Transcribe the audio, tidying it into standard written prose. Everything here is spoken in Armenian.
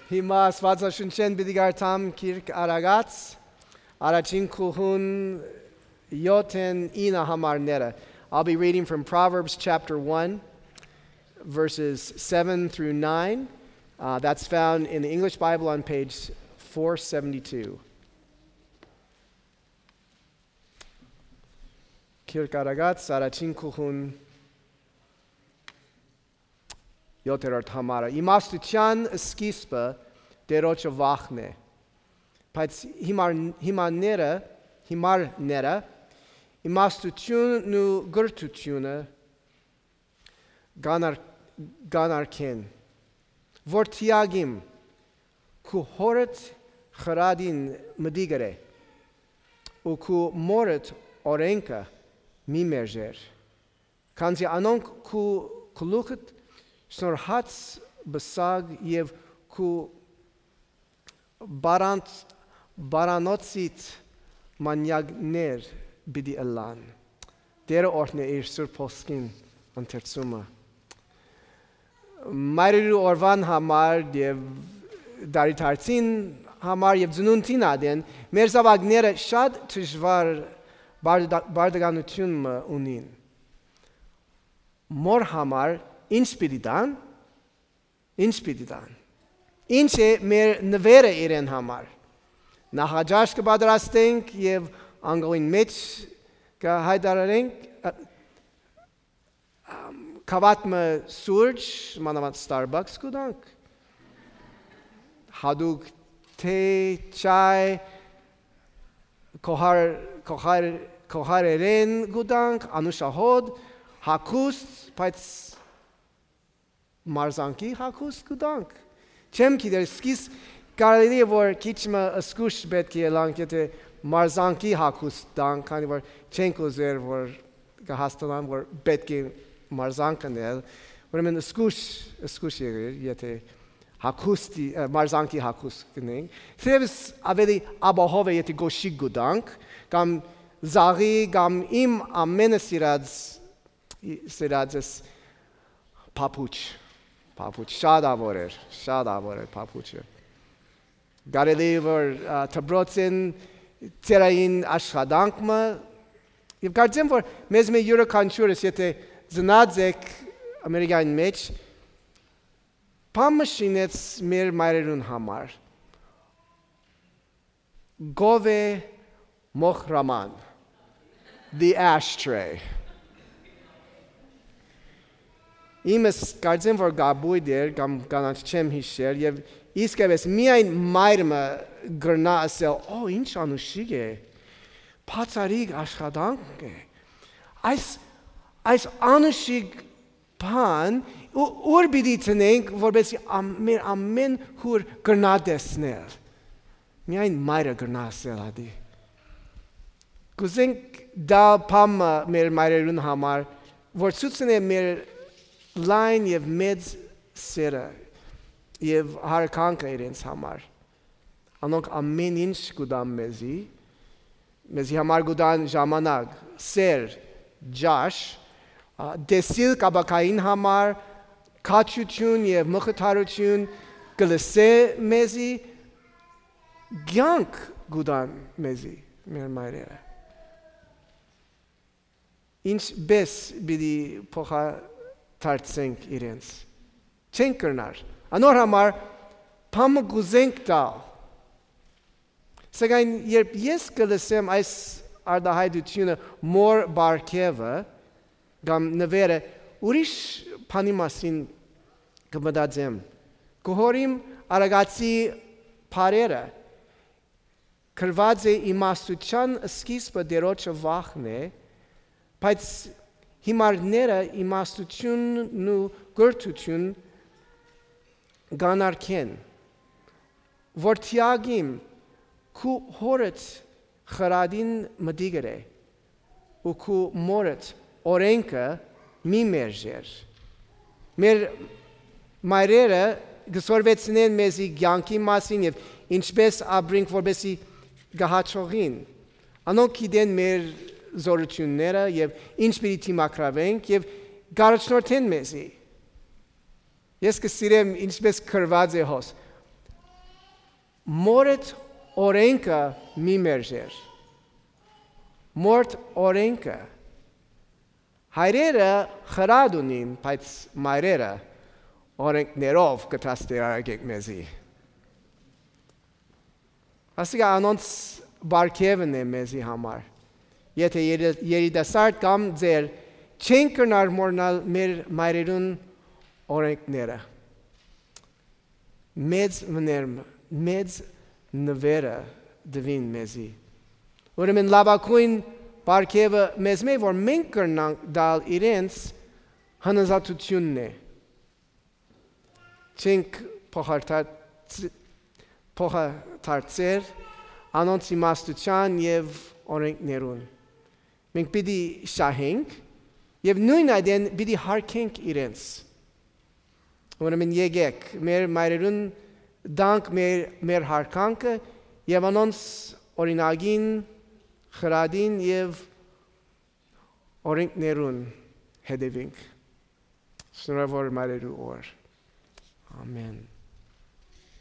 Հիմա Աստվածաշնչեն պիտի գարտամ Քիրք Արագած առաջին քուհուն 7-9 համարները. I'll be reading from Proverbs chapter 1 verses 7 through 9. That's found in the English Bible on page 472. Քիրք Արագած առաջին քուհուն 7-րդ համարը. Իմաստության սկիզբը Տերոջը վախն է. Բայց հիմարները իմաստությունն ու գրթությունը գանարքեն. Որ թիագիմ քու հորդ խրադին մդիգր է ու քու մորդ օրենքը մի մերժեր. Քանզի անոնք քու գլուխդ Շնորհած բսագ և քու բարանոցիտ մանյակներ բիդի ըլան. Տերը օրհն է իր սուրբ խոսքին ընթերցումը. Մայրերի օրվան համար և դարիթարցին համար և ծնունդին ադեն մեր զավակները շատ դժվար բարդականություն ունին. Մոր համար Ինչ պիտի տան? Ինչ է մեր նվերը իրեն համար? Նախաճաշ կպատրաստենք և անգողին մեջ կհայտարարենք կավատմը սուրճ, մանավանդ Starbucks կուտանք, հադուկ թե, չայ, կողարերեն կուտանք, անուշահոդ, հակուստ, բայց մարզանքի հակուստ կուտանք. Չեմ գիտեր, սկիզ կարելի է, որ քիչմը սկուշ պետք է ելանք, եթե մարզանքի հակուստ տանք, քանի որ չենք ուզեր, որ կհաստանան, որ պետք է մարզանք անել, ուրեմն սկուշ եղիր, եթե մարզանքի հակուստ կնենք. Թերևս ավելի ապահով է, եթե գոշիկ կուտանք, կամ զաղի, կամ իմ ամենը սիրածս Papuç, շատ ավոր էր papuçը. Կարելի որ թբրոցին ծերային աշխատանքը և կարծեմ, որ մեզ մեր յուրաքանչյուրս, եթե ծնած եք Ամերիկայի մեջ, պամը շինեց մեր մայրերուն համար. Գովե մոխրաման, the ashtray. Իմս կարծեմ, որ գաբույդ էր, կամ կանանչ չեմ հիշեր, և իսկևես միայն մայրմը գրնա ասել, ինչ անուշիկ է, պացարիկ աշխատանք է, այս անուշիկ բան, ուր բիդի տնենք, որբեսի մեր ամեն հուր գրնա դեսնել, միայն մայրը գրնա ասել ադի. Կուզենք դա պամը մեր մայրերուն համար, որ ծուցն է մեր լայն և մեծ սերը և հարկանքը իրենց համար. Անոնք ամեն ինչ կուտան մեզի համար կուտան ժամանակ, սեր, ջաշ, դեսիլ կաբակային համար, կաչություն և մխթարություն կլսե մեզի, գյանք կուտան մեզի, մեր մայրերը. Ինչ բես բիդի փոխադարձենք իրենց. Չենք կրնար. Անոր համար պամը գուզենք տալ. Սակայն երբ ես կլսեմ այս արտահայտությունը մոր բարգևը, կամ նվերը, ուրիշ բանի մասին կմտածեմ. Կհորիմ Արագածի փարերը, կրված է իմաստության սկիզբը Տերոջը վախն է, բայց հիմարները իմաստությունն ու գրթություն գանարքեն, որ թիագիմ քու հորդ խրադին մդիգր է ու քու մորդ օրենքը մի մերժեր. Մեր մայրերը գսորվեցնեն մեզի կյանքի մասին և ինչպես ապրենք, որպեսզի գահաճողին. Անոնք գիտեն մեր զորությունները և ինչ պիտի թիմակրավենք և գարաչնորդեն մեզի. Ես կսիրեմ ինչպես կրված է հոս. մորդ օրենքը մի մերժեր։ Մորդ օրենքը։ Հայրերը խրատ ունին, բայց մայրերը օրենքներով կտաստիարակեք մեզի։ Ասիկա անոնց բարգևն է մեզի համար։ Եթե երիտասարդ կամ ձեր չեն կրնար մորնալ մեր մայրերուն օրենքները։ Մեծ նվերը դվին մեզի։ Ուրեմն լավագույն բարգևը մեզ մեկ, որ մենք կրնանք դալ իրենց հնազանդությունն է։ Չենք փոխադարձել անոնց իմաստության և օրենքներուն։ Մենք պիտի շահենք և նույն այդեն պիտի հարգենք իրենց։ Ուրեմն եկեք մեր մայրերուն դանք մեր հարկանքը և անոնց օրինագին, խրադին և օրենքներուն հետևենք։ Շնորհավոր մայրերու օր։ Ամեն։